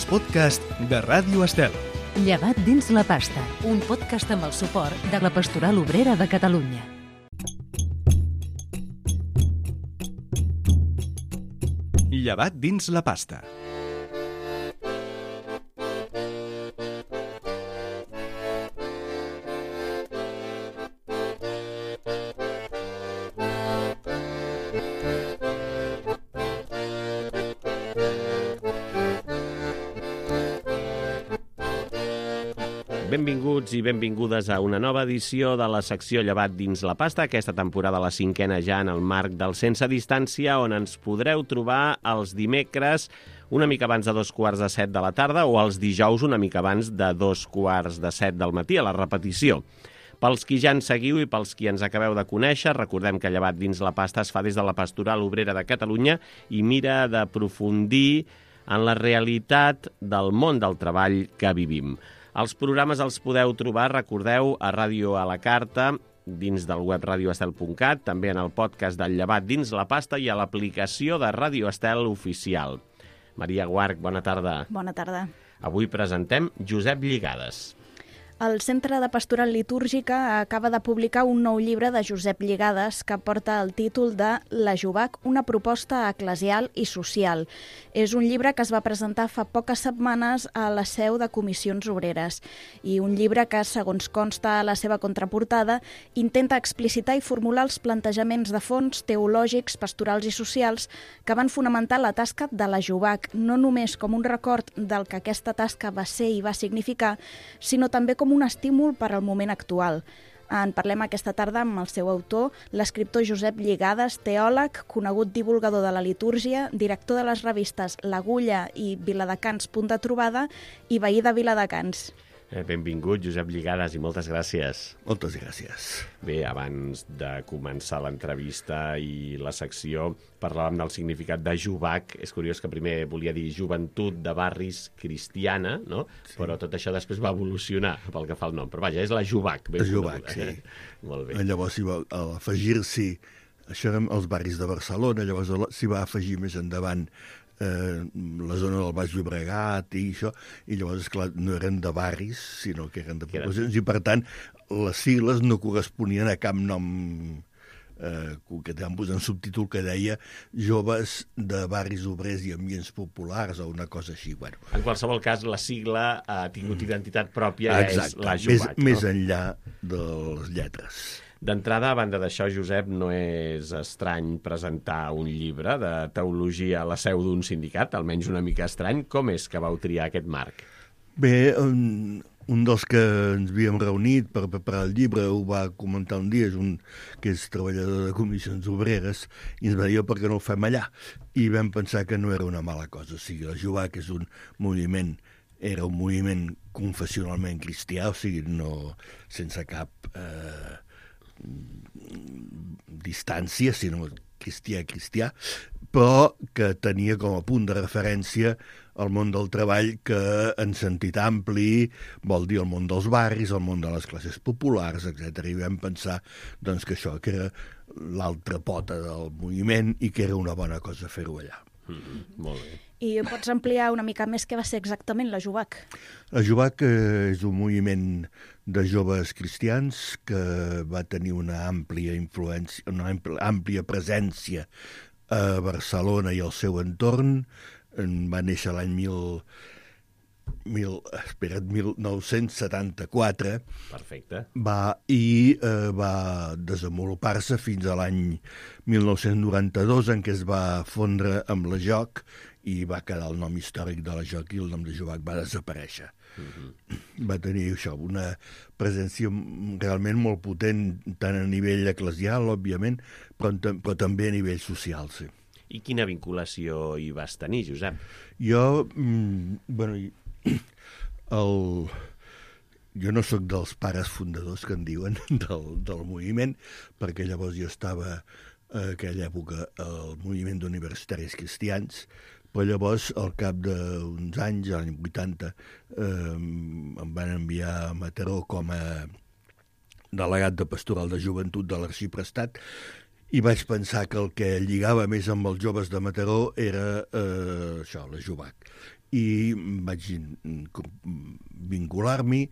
els podcasts de Ràdio Estel. Llevat dins la pasta, un podcast amb el suport de la Pastoral Obrera de Catalunya. Llevat dins la pasta. Benvinguts i benvingudes a una nova edició de la secció Llevat dins la pasta, aquesta temporada la 5ª ja en el marc del Sense Distància, on ens podreu trobar els dimecres una mica abans de 7:15 de la tarda o els dijous una mica abans de 7:15 del matí, a la repetició. Pels qui ja ens seguiu i pels qui ens acabeu de conèixer, recordem que Llevat dins la pasta es fa des de la Pastoral Obrera de Catalunya i mira d'aprofundir en la realitat del món del treball que vivim. Els programes els podeu trobar, recordeu, a Ràdio a la Carta, dins del web radioestel.cat, també en el podcast del Llevat dins la pasta i a l'aplicació de Ràdio Estel oficial. Maria Guarch, bona tarda. Bona tarda. Avui presentem Josep Lligades. El Centre de Pastoral Litúrgica acaba de publicar un nou llibre de Josep Lligades que porta el títol de La Jubac, una proposta eclesial i social. És un llibre que es va presentar fa poques setmanes a la seu de Comissions Obreres i un llibre que, segons consta a la seva contraportada, intenta explicitar i formular els plantejaments de fons teològics, pastorals i socials que van fonamentar la tasca de la Jubac, no només com un record del que aquesta tasca va ser i va significar, sinó també com un estímul per al moment actual. En parlem aquesta tarda amb el seu autor, l'escriptor Josep Lligades, teòleg, conegut divulgador de la litúrgia, director de les revistes L'Agulla i Viladecans Punt de Trobada i veí de Viladecans. Benvingut, Josep Lligades, i moltes gràcies. Moltes gràcies. Bé, abans de començar l'entrevista i la secció, parlàvem del significat de Jubac. És curiós que primer volia dir Joventut de Barris Cristiana, no? Sí. Però tot això després va evolucionar pel que fa al nom. Però vaja, és la Jubac. La Jubac, sí. Molt bé. Llavors, al afegir-s'hi, això eren els barris de Barcelona, llavors s'hi va afegir més endavant la zona del Baix Llobregat i això, i llavors, esclar, no eren de barris, sinó que eren de poblacions, i per tant, les sigles no corresponien a cap nom que van posar un subtítol que deia Joves de barris obrers i ambients populars o una cosa així. Bueno. En qualsevol cas, la sigla ha tingut identitat pròpia, és la Jubac. Més enllà de les lletres. D'entrada, a banda d'això, Josep, no és estrany presentar un llibre de teologia a la seu d'un sindicat, almenys una mica estrany. Com és que vau triar aquest marc? Bé, un dels que ens havíem reunit per preparar el llibre ho va comentar un dia, que és treballador de Comissions Obreres, i ens va dir per què no ho fem allà. I vam pensar que no era una mala cosa. O sigui, la Jubac és era un moviment confessionalment cristià, o sigui, no sense cap distància, sinó cristià, però que tenia com a punt de referència el món del treball que, en sentit ampli, vol dir el món dels barris, el món de les classes populars, etc. I vam pensar doncs, que això que era l'altra pota del moviment i que era una bona cosa fer-ho allà. Molt bé. I pots ampliar una mica més què va ser exactament la Jubac? La Jubac és un moviment de joves cristians que va tenir una àmplia influència, una àmplia presència a Barcelona i al seu entorn. Va néixer l'any 1974. Perfecte. Va desenvolupar-se fins a l'any 1992, en què es va fondre amb la JOC i va quedar el nom històric de la JOC i el nom de Jubac va desaparèixer. Va tenir això, una presència realment molt potent, tant a nivell eclesial, òbviament, però també a nivell social, sí. I quina vinculació hi vas tenir, Josep? Jo no sóc dels pares fundadors que en diuen del moviment, perquè llavors jo estava a aquella època al moviment d'universitaris cristians, però llavors, al cap d'uns anys, l'any 80, em van enviar a Mataró com a delegat de Pastoral de Joventut de l'Arxiprestat i vaig pensar que el que lligava més amb els joves de Mataró era això, la Jovac. I vaig vincular-m'hi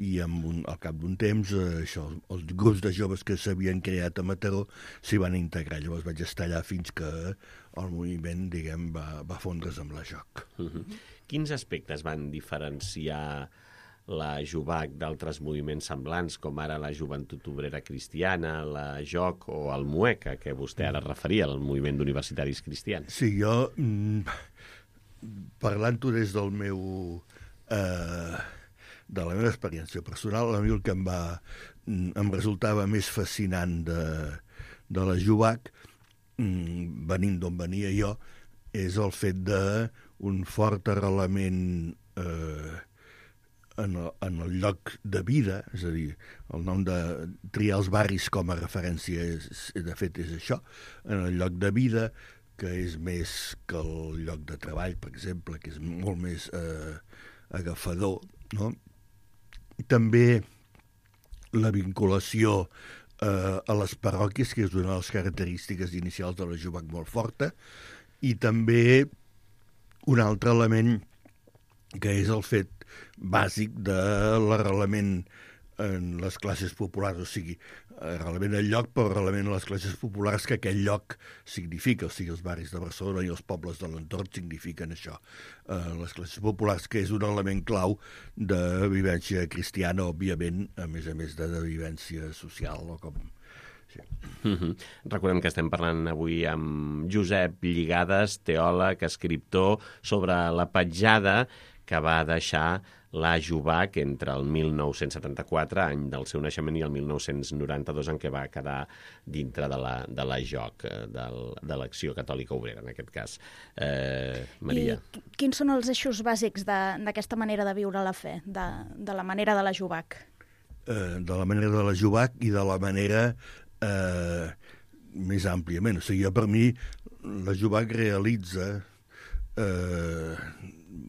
i al cap d'un temps els grups de joves que s'havien creat a Mataró s'hi van integrar. Llavors vaig estar allà fins que el moviment, diguem, va fondre's amb la Joc. Quins aspectes van diferenciar la Jovac d'altres moviments semblants, com ara la Joventut Obrera Cristiana, la Joc o el MUEC, a què vostè ara referia, el moviment d'universitaris cristians? Sí, jo... Parlant-ho des del meu de la meva experiència personal, a mi el que em resultava més fascinant de la Jovac, venint d'on venia jo, és el fet d'un fort arrelament en el lloc de vida, és a dir, el nom de triar els barris com a referència de fet és això, en el lloc de vida, que és més que el lloc de treball, per exemple, que és molt més agafador, no? I també la vinculació a les parròquies, que és una de les característiques inicials de la Jovac molt forta, i també un altre element que és el fet bàsic de l'arrelament en les classes populars, o sigui, arrelament al lloc, però arrelament a les classes populars que aquell lloc significa, o sigui, els barris de Barcelona i els pobles de l'entorn signifiquen això. Les classes populars, que és un element clau de vivència cristiana, òbviament, a més de vivència social, o com... Sí. Recordem que estem parlant avui amb Josep Lligades, teòleg, escriptor, sobre la petjada que va deixar la Jovac entre el 1974, any del seu naixement, i el 1992, en què va quedar dintre de la Joc, de l'Acció Catòlica Obrera, en aquest cas. Maria. I quins són els eixos bàsics d'aquesta manera de viure la fe, de la manera de la Jovac? De la manera de la Jovac i de la manera més àmpliament. O sigui, per mi, la Jovac realitza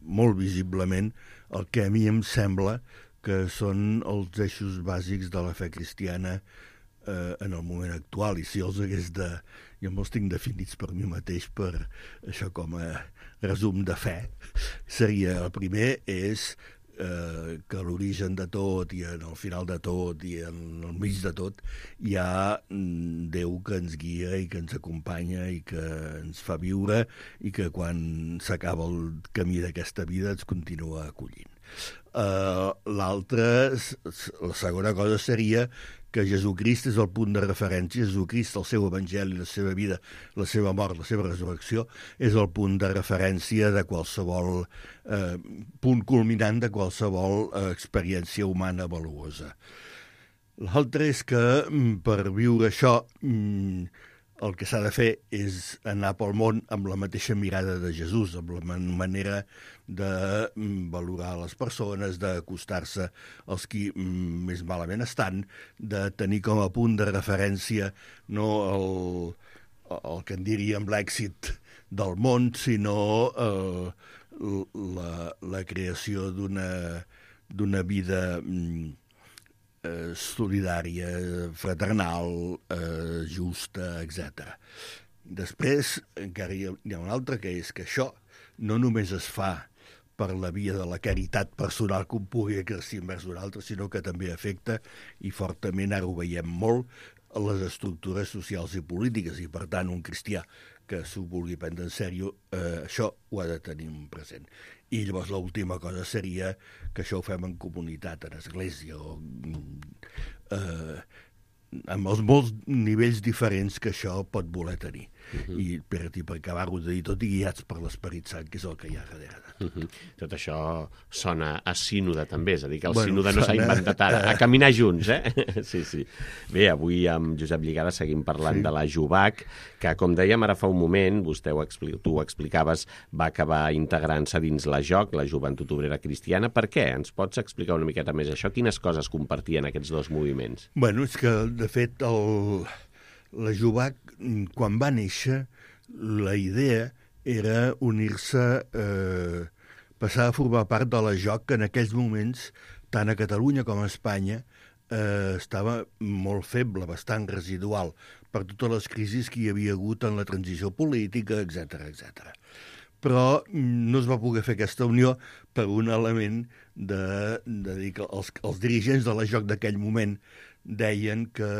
molt visiblement el que a mi em sembla que són els eixos bàsics de la fe cristiana en el moment actual, i si els hagués jo me'ls tinc definits per mi mateix per això com a resum de fe, seria el primer és que a l'origen de tot i en el final de tot i en el mig de tot hi ha Déu que ens guia i que ens acompanya i que ens fa viure i que quan s'acaba el camí d'aquesta vida ens continua acollint. L'altra, la segona cosa seria que Jesucrist és el punt de referència, Jesucrist, el seu evangeli, la seva vida, la seva mort, la seva resurrecció, és el punt de referència de qualsevol punt culminant de qualsevol experiència humana valuosa. L'altre és que per viure això el que s'ha de fer és anar pel món amb la mateixa mirada de Jesús, amb la manera de valorar les persones, d'acostar-se als qui més malament estan, de tenir com a punt de referència no el que en diríem l'èxit del món, sinó la creació d'una vida solidària, fraternal, justa, etc. Després, encara hi ha un altre, que és que això no només es fa per la via de la caritat personal que un pugui exercir envers un altre, sinó que també afecta, i fortament ara ho veiem molt, a les estructures socials i polítiques, i per tant un cristià que s'ho vulgui prendre en sèrio, això ho ha de tenir present. I llavors l'última cosa seria que això ho fem en comunitat, en església, o amb els molts nivells diferents que això pot voler tenir. I per acabar-ho de dir tot i guiats per l'Esperit Sant, que és el que hi ha darrere. Tot això sona a sínode també, és a dir, que el sínode no s'ha inventat ara, a caminar junts, Sí. Bé, avui amb Josep Lligades seguim parlant de la Jovac, que, com dèiem ara fa un moment, tu ho explicaves, va acabar integrant-se dins la Joc, la Joventut Obrera Cristiana. Per què? Ens pots explicar una miqueta més això? Quines coses compartien aquests dos moviments? Bueno, és que, de fet, la Jovac, quan va néixer, la idea era unir-se, passar a formar part de la Joc, que en aquells moments, tant a Catalunya com a Espanya, estava molt feble, bastant residual, per totes les crisis que hi havia hagut en la transició política, etc. Però no es va poder fer aquesta unió per un element de dir que els dirigents de la JOC d'aquell moment deien que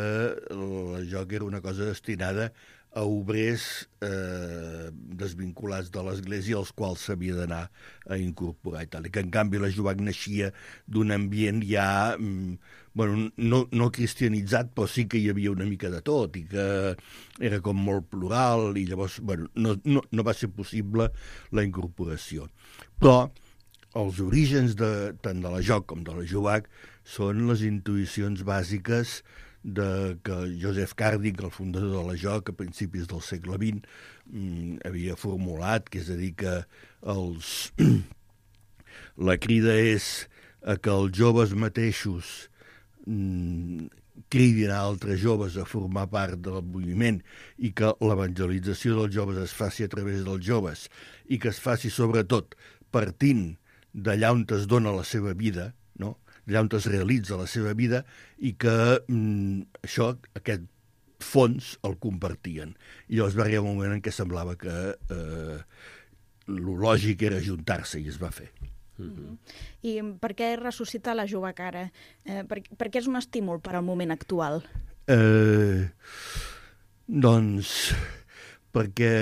la JOC era una cosa destinada a obrers desvinculats de l'Església als quals s'havia d'anar a incorporar i tal. I que, en canvi, la JOC naixia d'un ambient ja, no cristianitzat, però sí que hi havia una mica de tot i que era com molt plural i llavors no va ser possible la incorporació. Però els orígens tant de la JOC com de la JOC són les intuïcions bàsiques que Joseph Carding, el fundador de la JOC, a principis del segle XX, havia formulat, que és a dir, que la crida és a que els joves mateixos cridin a altres joves a formar part del moviment i que l'evangelització dels joves es faci a través dels joves i que es faci sobretot partint d'allà on es dona la seva vida, no? Allà on es realitza la seva vida i que aquest fons el compartien. I llavors va arribar un moment en què semblava que lo lògic era ajuntar-se i es va fer. I per què ressuscitar la JOC ara? Per què és un estímul per al moment actual? Doncs perquè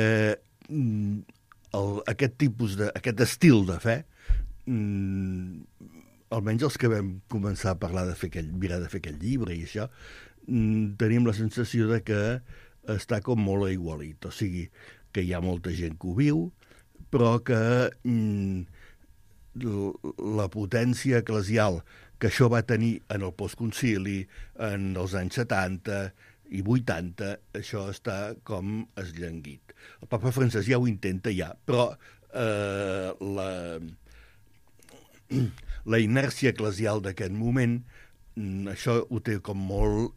aquest estil de fe, almenys els que vam començar a parlar mirar de fer aquest llibre i això, tenim la sensació de que està com molt aigualit, o sigui, que hi ha molta gent que ho viu, però que la potència eclesial que això va tenir en el postconcili, en els anys 70 i 80, això està com esllanguit. El papa Francesc ja ho intenta però la inèrcia eclesial d'aquest moment, això ho té com molt...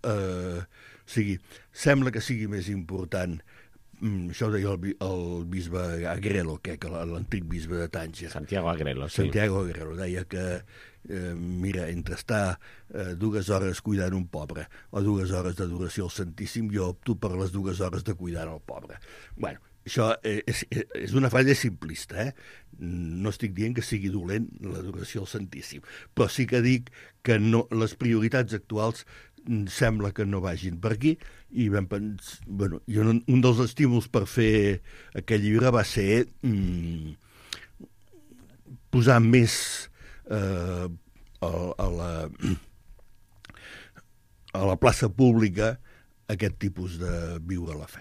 sembla que sigui més important. Això ho deia el bisbe Agrelo, l'antic bisbe de Tànger. Santiago Agrelo, sí. Santiago Agrelo deia que, mira, entre estar 2 hores cuidant un pobre o 2 hores d'adoració al Santíssim, jo opto per les 2 hores de cuidar el pobre. Bueno, això és una frase simplista, No estic dient que sigui dolent l'adoració al Santíssim, però sí que dic que les prioritats actuals sembla que no vagin per aquí i vam pensar... un dels estímuls per fer aquest llibre va ser posar més a la plaça pública aquest tipus de viure la fe.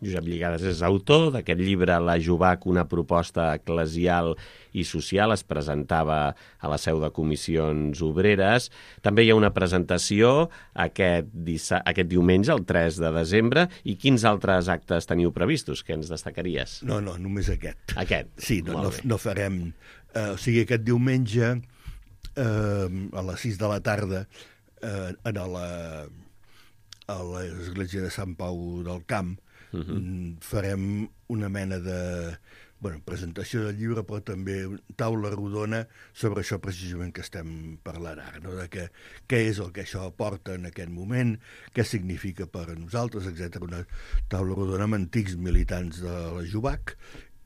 Josep Lligades és autor d'aquest llibre La JOC, una proposta eclesial i social. Es presentava a la seu de Comissions Obreres. També hi ha una presentació aquest diumenge, el 3 de desembre. I quins altres actes teniu previstos? Que ens destacaries? No, només aquest. Aquest? Sí, no farem... O sigui, aquest diumenge, a les 6 de la tarda, a l'església de Sant Pau del Camp, farem una mena de presentació del llibre, però també taula rodona sobre això precisament que estem parlant ara, no? De què és el que això aporta en aquest moment, què significa per a nosaltres, etc. Una taula rodona amb antics militants de la JOC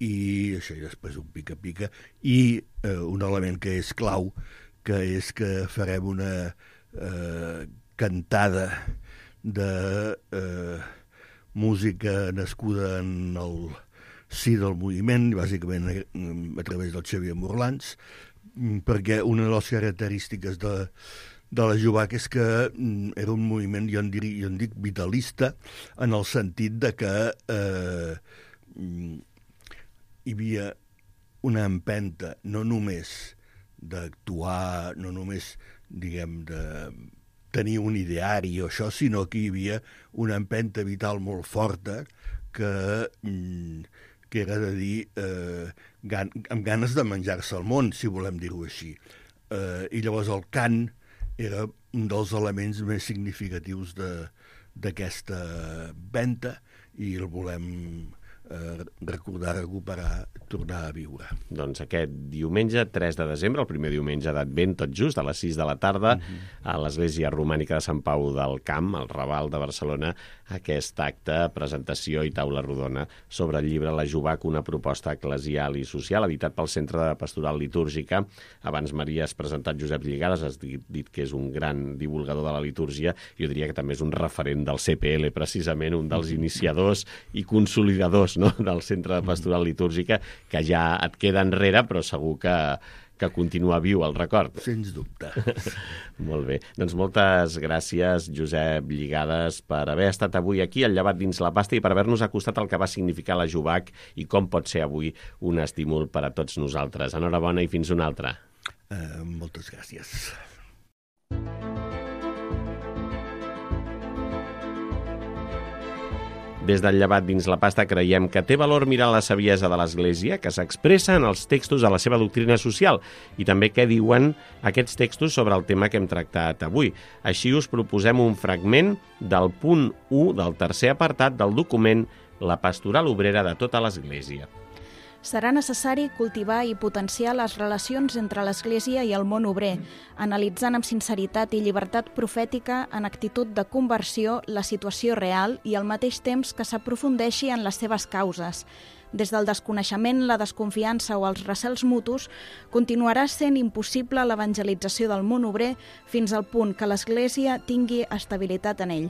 i això, i després un pica-pica, i un element que és clau, que és que farem una cantada de música nascuda en el si del moviment, bàsicament a través del Xavier Morlans, perquè una de les característiques de la JOC és que era un moviment, jo en dic vitalista, en el sentit de que hi havia una empenta no només d'actuar, no només, diguem, de tenir un ideari o això, sinó que hi havia una empenta vital molt forta que era de dir amb ganes de menjar-se el món, si volem dir-ho així. I llavors el cant era un dels elements més significatius d'aquesta venta i el volem recordar, recuperar, tornar a viure. Doncs aquest diumenge, 3 de desembre, el primer diumenge d'Advent, tot just, a les 6 de la tarda, a l'Església Romànica de Sant Pau del Camp, al Raval de Barcelona, aquest acte, presentació i taula rodona sobre el llibre La Jovac, una proposta eclesial i social, editat pel Centre de Pastoral Litúrgica. Abans, Maria, has presentat Josep Lligades, has dit que és un gran divulgador de la litúrgia, jo diria que també és un referent del CPL, precisament un dels iniciadors i consolidadors, no?, del Centre de Pastoral Litúrgica, que ja et queda enrere, però segur que continua viu el record. Sens dubte. Molt bé. Doncs moltes gràcies, Josep Lligades, per haver estat avui aquí al Llevat dins la pasta i per haver-nos acostat el que va significar la Jovac i com pot ser avui un estímul per a tots nosaltres. Enhorabona i fins una altra. Moltes gràcies. Des del Llevat dins la pasta creiem que té valor mirar la saviesa de l'Església que s'expressa en els textos de la seva doctrina social i també què diuen aquests textos sobre el tema que hem tractat avui. Així us proposem un fragment del punt 1 del tercer apartat del document La Pastoral Obrera de tota l'Església. Serà necessari cultivar i potenciar les relacions entre l'Església i el món obrer, analitzant amb sinceritat i llibertat profètica en actitud de conversió la situació real i al mateix temps que s'aprofundeixi en les seves causes. Des del desconeixement, la desconfiança o els recels mutus, continuarà sent impossible l'evangelització del món obrer fins al punt que l'Església tingui estabilitat en ell.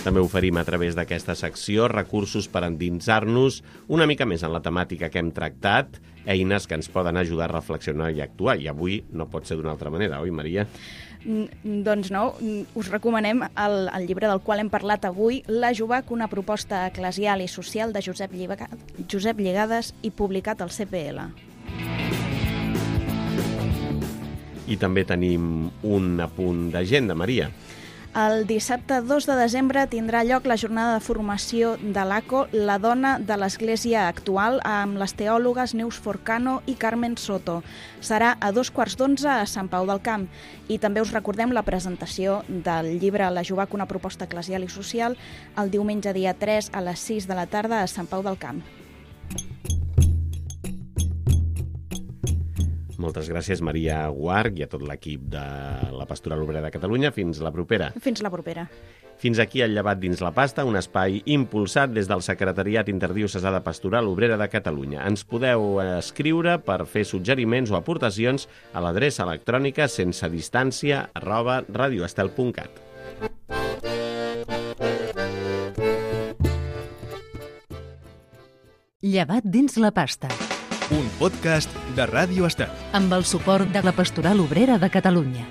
També oferim a través d'aquesta secció recursos per endinsar-nos una mica més en la temàtica que hem tractat, eines que ens poden ajudar a reflexionar i actuar. I avui no pot ser d'una altra manera, oi, Maria? Doncs no, us recomanem el llibre del qual hem parlat avui, La Jovac, una proposta eclesial i social de Josep Lligades i publicat al CPL. I també tenim un apunt d'agenda, Maria. El dissabte 2 de desembre tindrà lloc la jornada de formació de l'ACO, la dona de l'Església actual, amb les teòlogues Neus Forcano i Carmen Soto. Serà a 11:15 a Sant Pau del Camp. I també us recordem la presentació del llibre La Jovac, una proposta eclesial i social, el diumenge dia 3 a les 6 de la tarda a Sant Pau del Camp. Moltes gràcies, Maria Guarch, i a tot l'equip de la Pastoral Obrera de Catalunya. Fins la propera. Fins la propera. Fins aquí el Llevat dins la pasta, un espai impulsat des del Secretariat Interdiocesà de Pastoral Obrera de Catalunya. Ens podeu escriure per fer suggeriments o aportacions a l'adreça electrònica sensedistància@radioestel.cat. Llevat dins la pasta. Un podcast de Ràdio Estel. Amb el suport de la Pastoral Obrera de Catalunya.